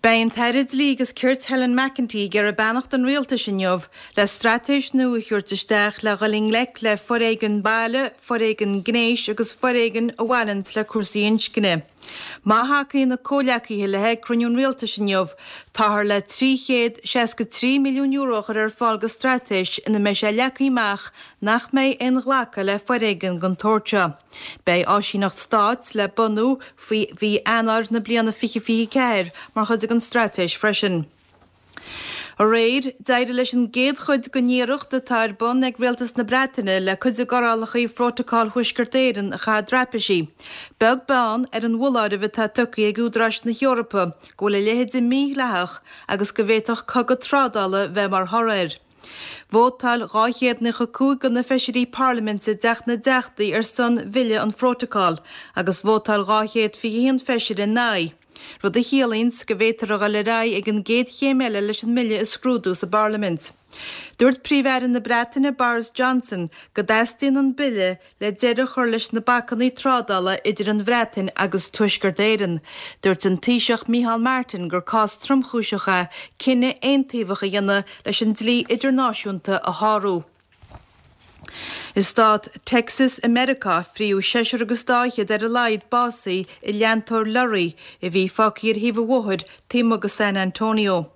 Beidh an tAire Dlí agus Cirt Helen McEntee ag iarraidh beannacht an Rialtais inniu le straitéis nua a thabhairt isteach le dhul i ngleic le foréigean baile, foréigean gnéis agus foréigean a bhaineanns le cúrsaí inscne. Má thacaíonn a comhghleacaithe léi ag cruinniú an Rialtais inniu, táthar le €363 milliún a chur ar fáil go straitéis ina mbeidh sé leagtha amach nach mbeidh aon ghlacadh le foréigean den tsórt seo. Beidh áisíneacht stáit le bunú faoi mhí Eanáir na bliana 2024 mar chuid den straitéis freisin. Aréir, d'éirigh leis an gcéad chuid den iarracht atá ar bun ag Rialtas na Breataine le cuid de fhorálacha Phrótacal Thuaisceart Éireann a chaitheamh traipisí, beag beann ar an bhfoláireamh atá tugtha ag údaráis na hEorpa go bhfuil a leithéid mídhleathach agus go bhféadfadh cogadh trádála bheith mar thoradh air. Vótáil 295 de na feisirí parlaiminte i dTeach na dTeachtaí ar son bhille an phrótacail agus vótáil 221 feisire ina aghaidh, rud a chiallaíonns go bhféadfar a dhul ar aghaidh ag an gcéad chéim eile leis an mbille a scrúdú sa bparlaimint. Dúirt Príomh-Aire na Breataine Boris Johnson go dteastaíonn an bille le deireadh a chur leis na bacannaí trádála idir an Bhreatain agus Tuaisceart Éireann. Dúirt an Taoiseach Micheál Martin gur cás tromchúiseach é cinneadh aontaobhach a dhéanamh leis an dlí idirnáisiúnta a shárú. I stát Texas i Meiriceá, fríodh seisear agus dá fhichead ar a laghad básaithe i leantóir lorraí a bhí fágtha ar thaobh an bhóthair taobh amuigh de San Antonio.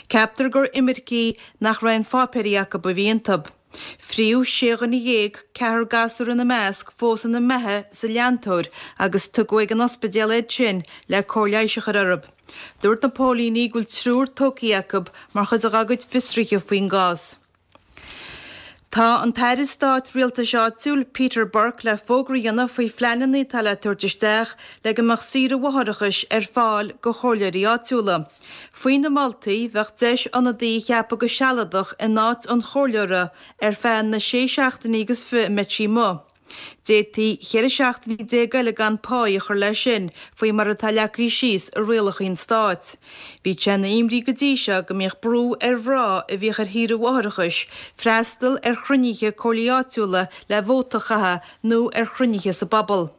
Ceaptar gur imircigh nach raibh aon pháipéirí acu a bhí iontu. Fríodh sé dhuine dhéag, ceathrar gasúr ina measc, fós ina mbeatha sa leantóir agus tugadh ag an ospidéal iad sin le cóir leighis a chur orthu. Dúirt na póilíní go bhfuil triúr tógtha acu mar chuid dá gcuid fiosruithe faoin gcás. Tá an tAire Stáit Rialtais Áitiúil, Peter Burke le fógra a dhéanamh faoi phleananna atá le tabhairt isteach le go mbeadh saoire mháithreachais ar fáil go chomhairleoirí áitiúla. Faoi na moltaí, bheadh deis ionadaí a cheapadh go sealadach in áit an chomhairleora ar feadh na sé seachtainí agus fi a mbeidh sí amuigh. D'fhéadfaí 14 seachtainí eile gan páí a chur leis sin, faoi mar atá leagtha síos i rialacha an stáit. Bhí sé ina imní go dtí seo go mbíodh brú ar mhná a bhíodh ar shaoire mháithreachais freastal ar chruinnithe comhairlí áitiúla le vóta a chaitheamh nó ar chruinnithe sa bpobal.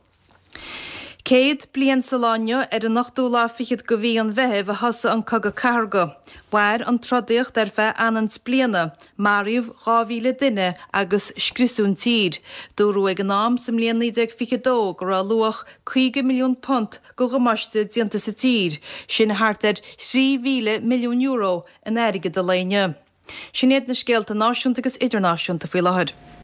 100 bliain sa lá inniu, ar an ochtú lá fichead de mhí an Mheithimh, a thosaigh an Cogadh Cathartha. Mhair an trodaíocht ar feadh anonn 's bliana. Maraíodh 2,000 duine agus scriosadh an tír. Dúradh ag an am, sa mbliain 1922, go raibh luach £50 milliún de dhamáiste déanta sa tír, sin thart ar €3,000 milliún in airgead an lae inniu. Sin iad na scéalta náisiúnta agus idirnáisiúnta faoi láthair.